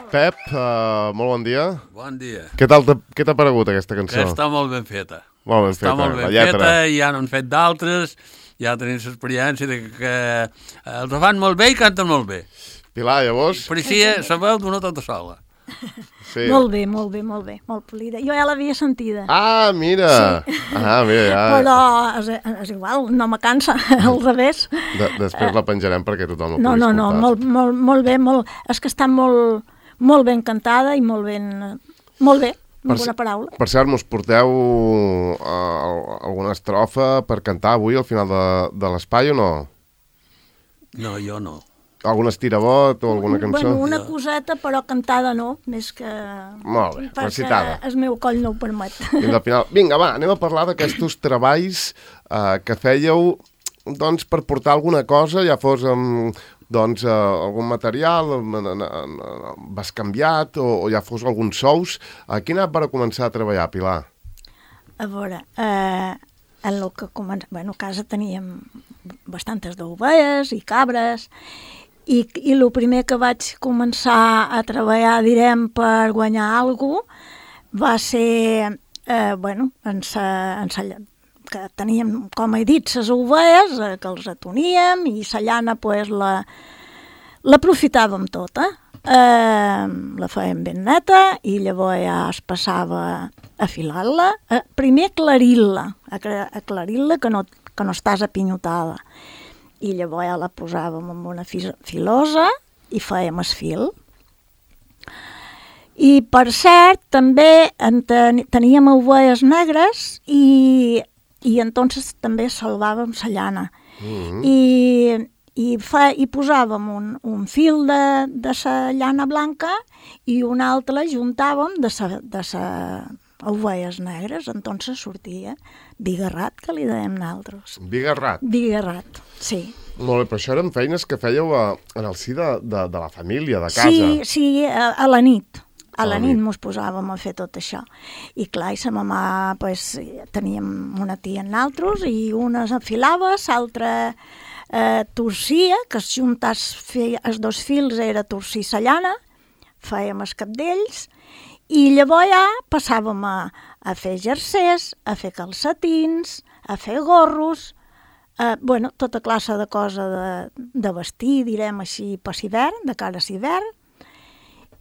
Pep, molt bon dia. Bon dia. Què t'ha paregut aquesta cançó? Que està molt ben feta. Molt ben feta, Està molt ben feta, ja n'han fet d'altres, ja tenim l'experiència de que els fan molt bé i canten molt bé. Pilar, llavors? Parecia la veu d'una tota sola. Sí. Molt bé, molt polida. Jo ja l'havia sentida. Ah, mira! Sí. Ah, mira, ja. Però és igual, no me cansa, al revés. Després la penjarem perquè tothom la pugui escoltar. No, molt bé, és que està molt ben cantada i molt bé, amb una paraula. Per cert, mos porteu alguna estrofa per cantar avui al final de l'espai o no? No, jo no. Algun estirabot o alguna cançó? Bueno, una coseta, però cantada no, més que... Molt bé, recitada. Perquè el meu coll no ho permet. Al final, vinga, va, anem a parlar d'aquests treballs que fèieu doncs, per portar alguna cosa, ja fos doncs, algun material, bescanviat o ja fos alguns sous. A quin any va començar a treballar, Pilar? A veure, en el que a casa teníem bastantes d'ovelles i cabres, i el primer que vaig començar a treballar, direm, per guanyar alguna cosa, va ser, que teníem, com he dit, les ovelles, que els atoníem, i la llana, pues, l'aprofitàvem tota. La fèiem ben neta, i llavors ja es passava a filar-la. Primer aclarir-la, que no estàs apinyotada. I llavors ja la posàvem en una filosa i fèiem el fil. I, per cert, també teníem ovelles negres i entonces també salvàvem la llana. I posàvem un fil de la llana blanca i un altre juntàvem de la ovelles negres, entonces sortia bigarrat, que li dèiem nosaltres. Bigarrat? Bigarrat, sí. Molt bé, però això eren feines que fèieu en el si de la família, de casa. Sí, a la nit. A la nit mos posàvem a fer tot això. I clar, i sa mamà, pues, teníem una tia en nosaltres i una afilava, l'altra torcia, que es juntàs els dos fils era torcir la llana, fèiem els capdells, i llavors ja passàvem a fer jersers, a fer calcetins, a fer gorros, tota classe de cosa de vestir, direm així, per l'hivern, de cara a l'hivern.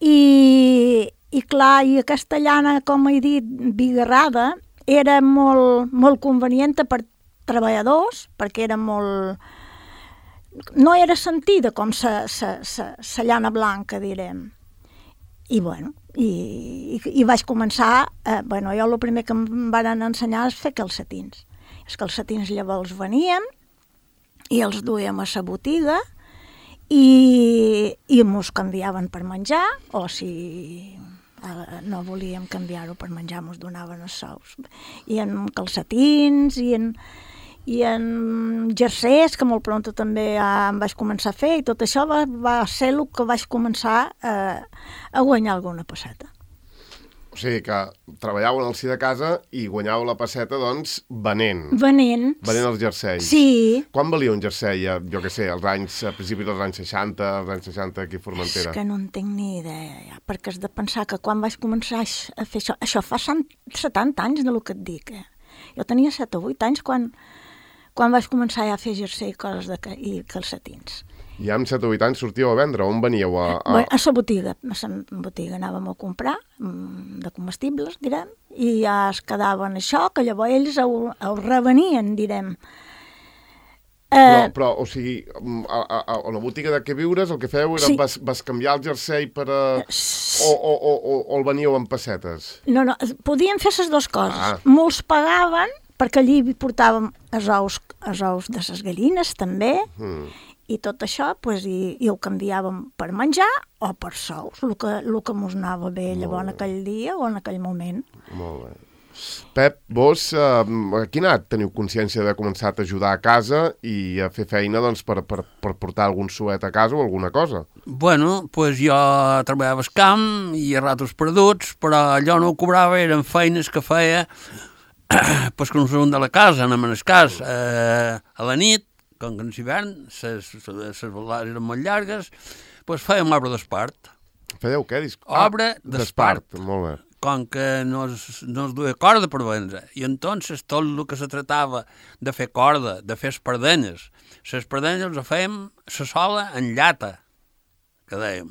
I clar, i aquesta llana, com he dit, bigarrada, era molt convenient per treballadors, perquè era molt... No era sentida com la llana blanca, direm. I bueno, i vaig començar, jo el primer que em van ensenyar és fer calcetins. Els calcetins llavors veníem i els duíem a la botiga i mos canviaven per menjar, o si no volíem canviar-ho per menjar, mos donaven els sous. I en calcetins i en jersers, que molt pront també em vaig començar a fer, i tot això va ser el que vaig començar a guanyar alguna pesseta. O sigui que treballàveu en el si de casa i guanyàveu la pesseta, doncs, venent. Venent els jerseis. Sí. Quan valia un jersei, jo què sé, a principis dels anys 60, als anys 60 aquí a Formentera? És que no en tinc ni idea, perquè has de pensar que quan vaig començar a fer això fa 70 anys de lo que et dic. Jo tenia 7 o 8 anys quan vaig començar a fer jersei i calcetins. I amb 7 o 8 anys sortíeu a vendre? On veníeu? A la botiga. A la botiga anàvem a comprar de comestibles, direm, i ja es quedaven això, que llavors ells ho revenien, direm. Però, o sigui, a la botiga de què viures, el que fèieu era vas canviar el jersei per o el veníeu en pessetes? No, podíem fer les dues coses. Molts pagaven, perquè allí portàvem els ous de les gallines, també, i tot això, i ho canviàvem per menjar o per sous, el que mos anava bé llavors en aquell dia o en aquell moment. Molt bé. Pep, vos a quina edat teniu consciència de començar a ajudar a casa i a fer feina per portar algun suet a casa o alguna cosa? Bueno, pues jo treballava al camp i a ratos perduts, però allò no ho cobrava, eren feines que feia pues que no són de la casa, anem en el cas, a la nit, com que en l'hivern les velades eren molt llargues, doncs fèiem l'arbre d'espart. Fèieu què? Obra d'espart. Molt bé. Com que no es duia corda per vendre. I entonces tot el que se tratava de fer corda, de fer espardenyes, les espardenyes les fèiem la sola en llata, que dèiem,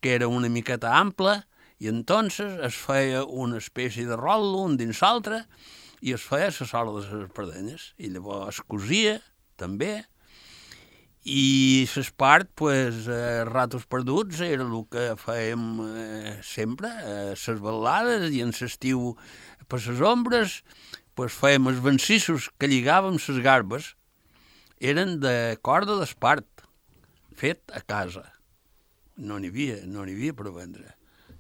que era una miqueta ampla, i entonces es feia una espècie de rol un dins l'altre i es feia la sola de les espardenyes. I llavors es cosia, també, i l'espart, pues, ratos perduts era el que fèiem sempre, les balades, i en l'estiu per les ombres, pues, fèiem els vencissos que lligàvem les garbes, eren de corda d'espart, fet a casa. No n'hi havia per vendre,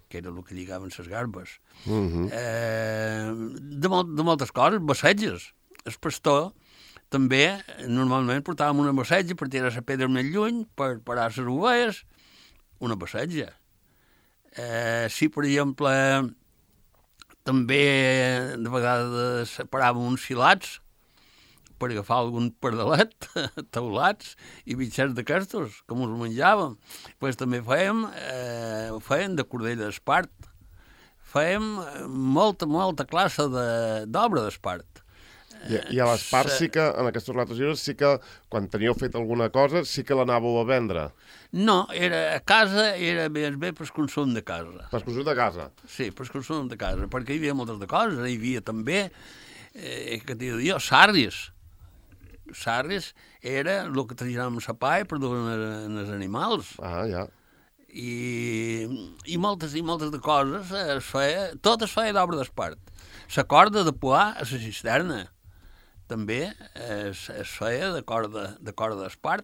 que era el que lligaven les garbes. De moltes coses, bassetges. El pastor també normalment portàvem una bassetja per tirar la pedra més lluny, per parar les ovelles, una bassetja. Si, per exemple, també de vegades separàvem uns filats per agafar algun pardalet, taulats i bitxets d'aquestos, com us menjàvem. Pues també fèiem de cordell d'espart. Fèiem molta classe d'obra d'espart. I a l'espart sí que, en aquests ratos lliures, sí que, quan teníeu fet alguna cosa, sí que l'anàveu a vendre? No, a casa era més bé per consum de casa. Per consum de casa? Sí, per consum de casa, perquè hi havia moltes de coses. Hi havia també, que t'he de dir jo, sarris. Sarris era el que traginàvem la palla per dur als animals. Ah, ja. I moltes de coses tot es feia d'obra d'espart. La corda de poar a la cisterna també es feia de corda d'espart,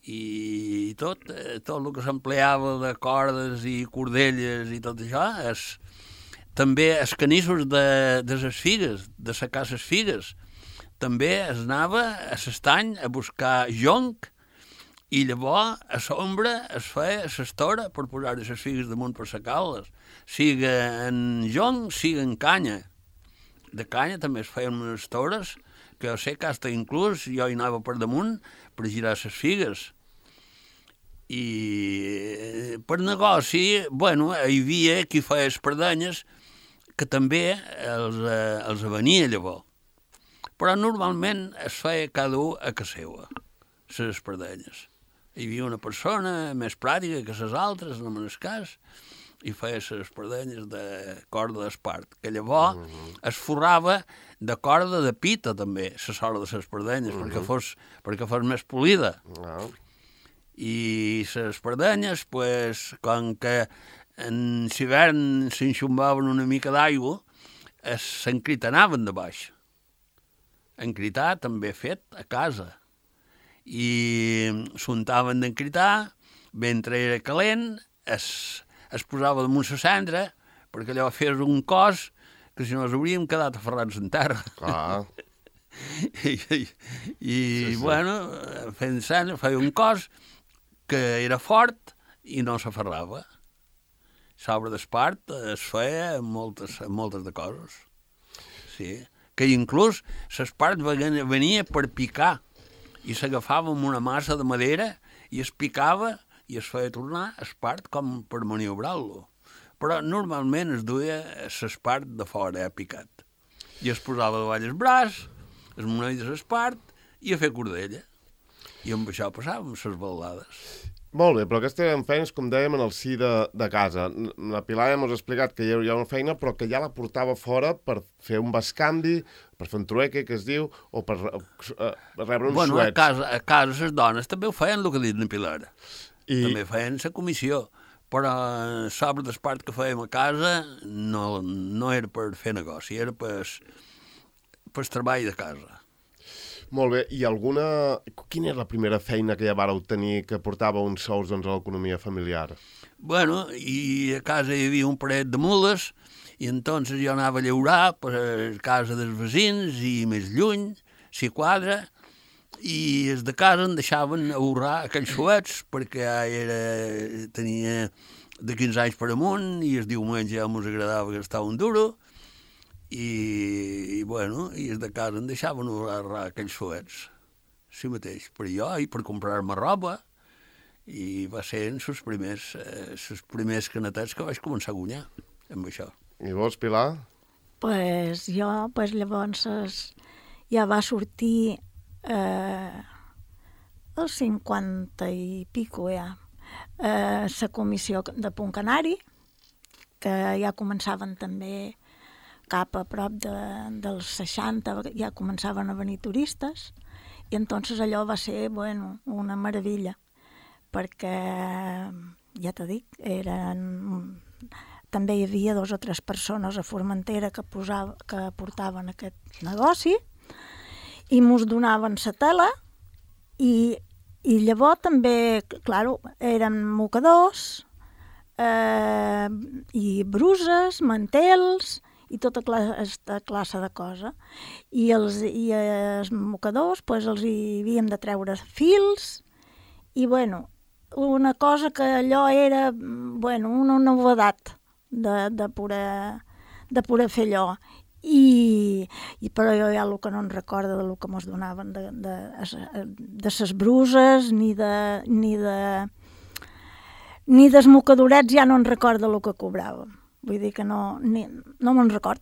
i tot el que s'empleava de cordes i cordelles i tot això, també els canissos de les figues, de secar les figues, també es anava a l'estany a buscar jonc, i llavors a l'ombra es feia l'estora per posar les figues damunt per secar-les, siga en jonc, siga en canya. De canya també es feien unes estores, que jo sé que hasta inclús jo hi anava per damunt per girar les figues. I per negoci, bueno, hi havia qui feia espardenyes que també els venia llavors. Però normalment es feia cada un a casa seva, les espardenyes. Hi havia una persona més pràctica que les altres, no me'n cas, i feia les espardenyes de corda d'espart, que llavors es forrava de corda de pita també, la sola de les espardenyes, perquè fos més polida. I les espardenyes, pues, com que en l'hivern s'enxumbaven una mica d'aigua, s'encritanaven de baix. Encritar també fet a casa. I s'untaven d'encritar, mentre era calent, es posava damunt la cendra, perquè allò fes un cos que si no ens hauríem quedat aferrats en terra. Clar. I bueno, fent cendra, feia un cos que era fort i no s'aferrava. L'obra d'espart es feia moltes de coses. Sí. Que inclús l'espart venia per picar, i s'agafava amb una massa de madera i es picava i es feia tornar espart com per maniobrar-lo. Però normalment es duia l'espart de fora, picat. I es posava davall el braç, es monedes l'espart i a fer cordella. I amb això passàvem les balades. Molt bé, però aquestes eren feines, com dèiem, en el si de casa. La Pilar ja m'ha explicat que hi ha una feina, però que ja la portava fora per fer un bescanvi, per fer un trueque, que es diu, o per rebre uns suets. A casa les dones també ho feien, el que ha dit la Pilar. També feien la comissió, però l'obra d'espart que fèiem a casa no era per fer negoci, era per treball de casa. Molt bé, i quina és la primera feina que ja vareu tenir que portava uns sous a l'economia familiar? Bueno, i a casa hi havia un parell de mules, i entonces jo anava a llaurar per casa dels veïns i més lluny, si quadra, i els de casa em deixaven ahorrar aquells suets, perquè tenia de 15 anys per amunt, i el diumenge ja ens agradava gastar un duro, i els de casa em deixaven ahorrar aquells suets, sí mateix, per jo i per comprar-me roba, i va ser en els primers canetets que vaig començar a guanyar amb això. I vos, Pilar? Pues jo, llavors ja va sortir el 50 i pico ja, la comissió de Punt Canari, que ja començaven també cap a prop dels 60, ja començaven a venir turistes, i entonces allò va ser, bueno, una meravella, perquè, ja t'ho dic, també hi havia 2 o 3 persones a Formentera que portaven aquest negoci i mos donaven la tela i llavors també, clar, eren mocadors i bruses, mantels i tota aquesta classe de cosa. I els mocadors doncs, els hi havíem de treure fils i, bueno, una cosa que allò era, bueno, una novedat de poder fer allò. Però jo ja el que no em recordo del que mos donaven de ses bruses ni dels mocadorets, ja no en recordo el que cobràvem. Vull dir que no me'n record.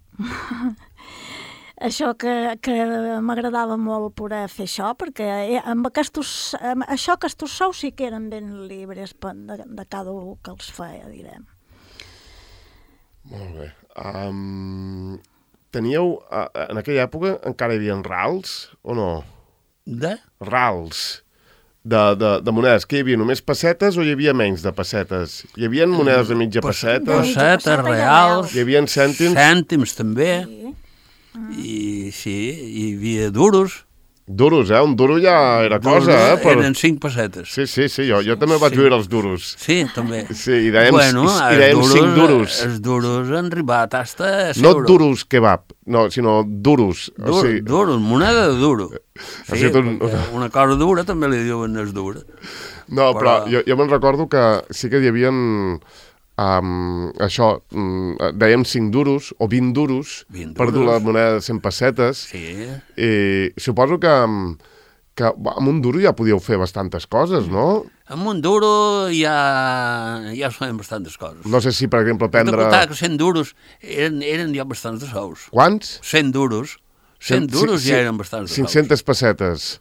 Això que m'agradava molt poder fer això, perquè amb aquests sous sí que eren ben llibres de cada un que els feia, direm. Molt bé. Teníeu, en aquella època encara hi havia rals o no? De? Rals de monedes. Que hi havia només pessetes o hi havia menys de pessetes? Hi havia monedes de mitja pessetes? Pessetes, reals. Hi havia cèntims? Cèntims també. Sí. I sí, hi havia duros. Duros, un duro ja era cosa, Eren 5 pessetes. Sí, jo també vaig viure els duros. Sí, també. Sí, i dèiem 5 duros. Els duros han arribat hasta a no duros kebab, no, sinó duros. Duros, moneda de duro. Sí, una cosa dura també li diuen els dura. No, però jo me'n recordo que sí que hi havia això, dèiem 5 duros o 20 duros per dur la moneda de 100 pessetes. Sí. I suposo que amb un duro ja podíeu fer bastantes coses, no? Amb un duro ja es feien bastantes coses. No sé si, per exemple, prendre... De comptar que 100 duros eren ja bastants de sous. Quants? 100 duros. 100 duros ja eren bastants de sous. 500 pessetes.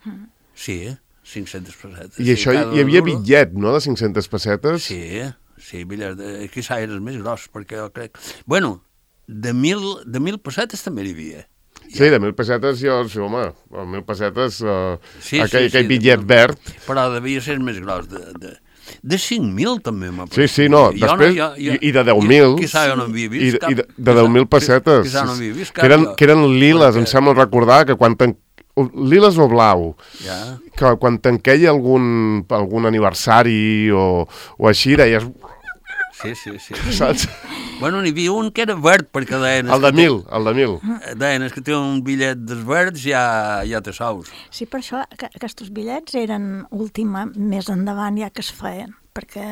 Sí, 500 pessetes. I això hi havia bitllet, no?, de 500 pessetes? Sí, bitllet. Quizà era el més gros, perquè jo crec... Bueno, de 1.000 pessetes també n'hi havia. Sí, de 1.000 pessetes, home, 1.000 pessetes, aquell bitllet verd. Però devia ser el més gros. De 5.000 també m'ha parlat. Sí, no, després, i de 10.000. Quizà jo no havia vist cap. I de 10.000 pessetes. Quizà no havia vist cap. Que eren liles, em sembla recordar, que quan liles o blau, que quan tanqueia algun aniversari o així, deies... Sí. Saps? Bueno, n'hi havia un que era verd, perquè deien... El de 1.000. Deien, que té un bitllet dels verds ja té sous. Sí, per això aquests bitllets eren més endavant ja que es feien, perquè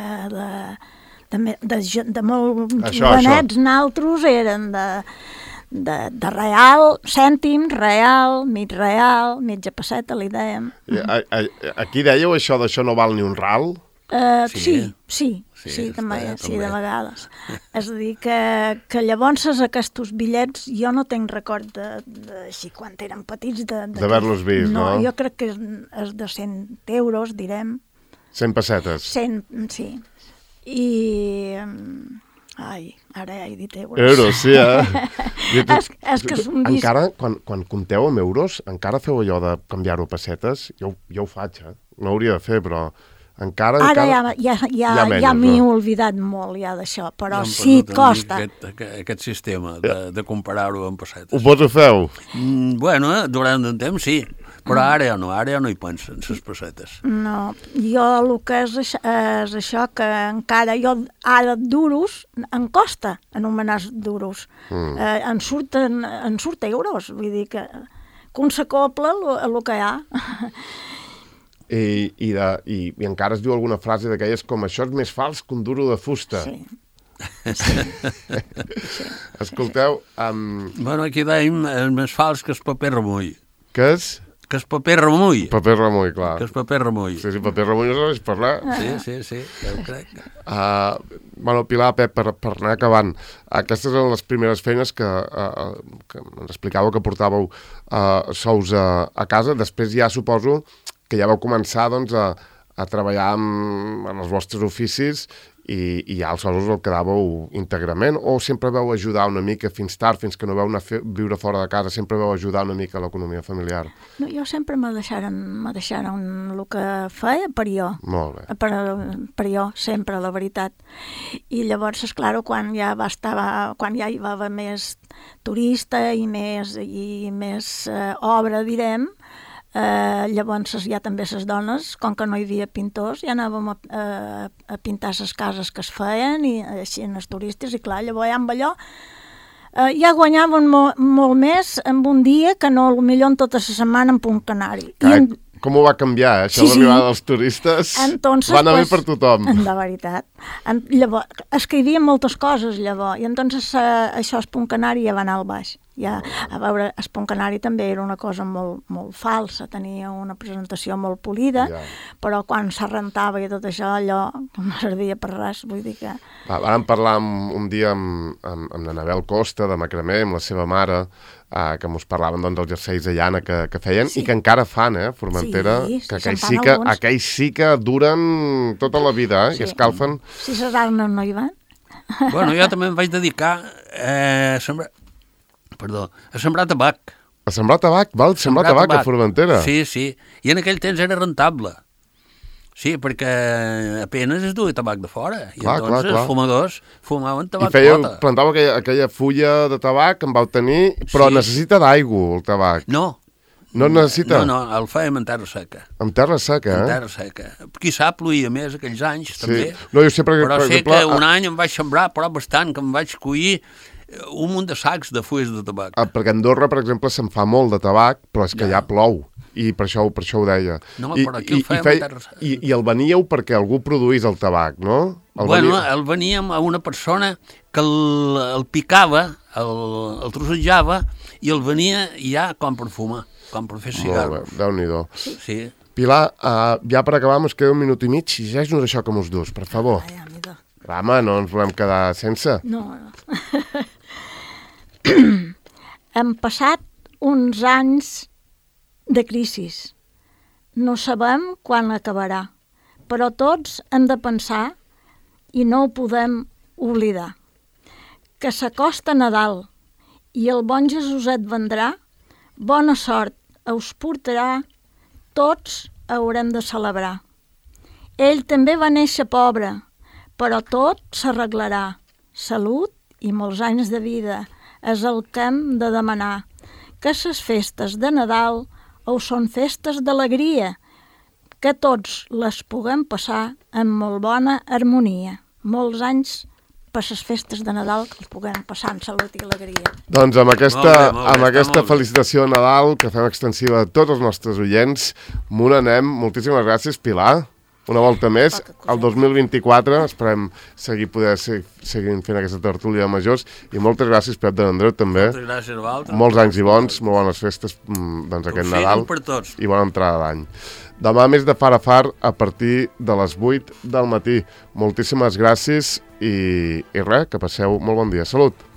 de molt jovenets naltros eren de real, cèntim, real, mitja pesseta, li dèiem. Aquí dèieu això d'això no val ni un ral? Sí, també, de vegades. És a dir, que llavors aquests bitllets, jo no tenc record així quan eren petits d'haver-los vist, no? No, jo crec que és de 100 euros, direm. 100 pessetes. 100, sí. I... Ai, ara ja he dit euros. Euros, sí, És que és un disc... Encara, quan compteu amb euros, encara feu allò de canviar-ho a pessetes? Jo ho faig, no hauria de fer, però... Ara ja m'he oblidat molt ja d'això, però sí costa. Aquest sistema de comparar-ho amb pessetes. Vos ho feu? Bueno, durant un temps sí, però ara ja no hi pensen, les pessetes. No, jo el que és això, que encara jo ara duros, em costa anomenar duros. Em surt euros, vull dir que un s'acopla el que hi ha. I encara es diu alguna frase d'aquelles com això és més fals que un duro de fusta. Sí. Escolteu... Bueno, aquí dèiem és més fals que el paper remull. Què és? Que és paper remull. Paper remull, clar. Que és paper remull. Sí, paper remull no sabeix parlar. Sí, ja ho crec. Bueno, Pilar, Pep, per anar acabant, aquestes eren les primeres feines que ens explicàveu que portàveu sous a casa. Després ja suposo que ja vau començar doncs, a treballar en els vostres oficis i ja els sous el quedàveu íntegrament, o sempre vau ajudar una mica fins tard, fins que no vau anar a viure fora de casa, sempre vau ajudar una mica a l'economia familiar? No, jo sempre me deixaren el que feia per jo. Molt bé. Per jo, sempre, la veritat. I llavors, esclar, quan ja hi va haver més turista i més obra, direm, llavors ja també les dones, com que no hi havia pintors, ja anàvem a pintar les cases que es feien i així en els turistes, i clar, llavors ja amb allò ja guanyaven molt més en un dia que no potser en tota la setmana en Punt Canari. Com ho va canviar, això, l'arribada dels turistes? Entonces, va anar bé per tothom. De veritat. Llavors, és que hi havia moltes coses, llavors, i entonces això, el Punt Canari ja va anar al baix. Ja, a veure, el Punt Canari també era una cosa molt, molt falsa, tenia una presentació molt polida, però quan se rentava i tot això, allò no servia per res, vull dir que... Vam parlar un dia amb l'Anabel Costa, de Macramé, amb la seva mare, que ens parlaven dels jerseis de llana que feien, i que encara fan, Formentera, que aquells sí que duren tota la vida, i escalfen. Si les arnes no hi van. Bueno, jo també em vaig dedicar a sembrar tabac. A sembrar tabac? Val? Sembrar tabac a Formentera? Sí, i en aquell temps era rentable. Sí, perquè apenas es duia tabac de fora. I entonces els fumadors fumaven tabac flota. I plantàveu aquella fulla de tabac que en vau tenir, però necessita d'aigua, el tabac. No. No necessita? No, el fèiem en terra seca. En terra seca, En terra seca. Qui sap, ploïa més aquells anys, també. No, jo sempre, però sé que un any em vaig sembrar, però bastant, que em vaig collir un munt de sacs de fulles de tabac. Perquè a Andorra, per exemple, se'n fa molt de tabac, però és que ja plou. I per això ho deia. No, però aquí el fèiem en terra seca. I el veníeu perquè algú produís el tabac, no? El veníem a una persona que el picava, el trossejava, i el venia ja com per fumar, com per fer cigarros. Molt bé, Déu-n'hi-do. Sí. Pilar, ja per acabar, ens queda un minut i mig, llegeix-nos això que mos dus, per favor. Home, no ens volem quedar sense. No. Hem passat uns anys de crisi. No sabem quan acabarà, però tots hem de pensar, i no ho podem oblidar, que s'acosta Nadal i el bon Jesuset vendrà, bona sort us portarà, tots haurem de celebrar. Ell també va néixer pobre, però tot s'arreglarà. Salut i molts anys de vida és el que hem de demanar. Que les festes de Nadal són festes d'alegria, que tots les puguem passar amb molt bona harmonia. Molts anys per les festes de Nadal que els puguem passar amb salut i alegria. Doncs amb aquesta felicitació de Nadal que fem extensiva a tots els nostres oients, m'ho anem. Moltíssimes gràcies, Pilar. Una volta més, el 2024, esperem poder seguir fent aquesta tertúlia de majors, i moltes gràcies, Pep de Andreu, també. Moltes gràcies a vosaltres. Molts anys i bons, molt bones festes aquest Nadal i bona entrada d'any. Demà més de far a far a partir de les 8 del matí. Moltíssimes gràcies i res, que passeu molt bon dia. Salut!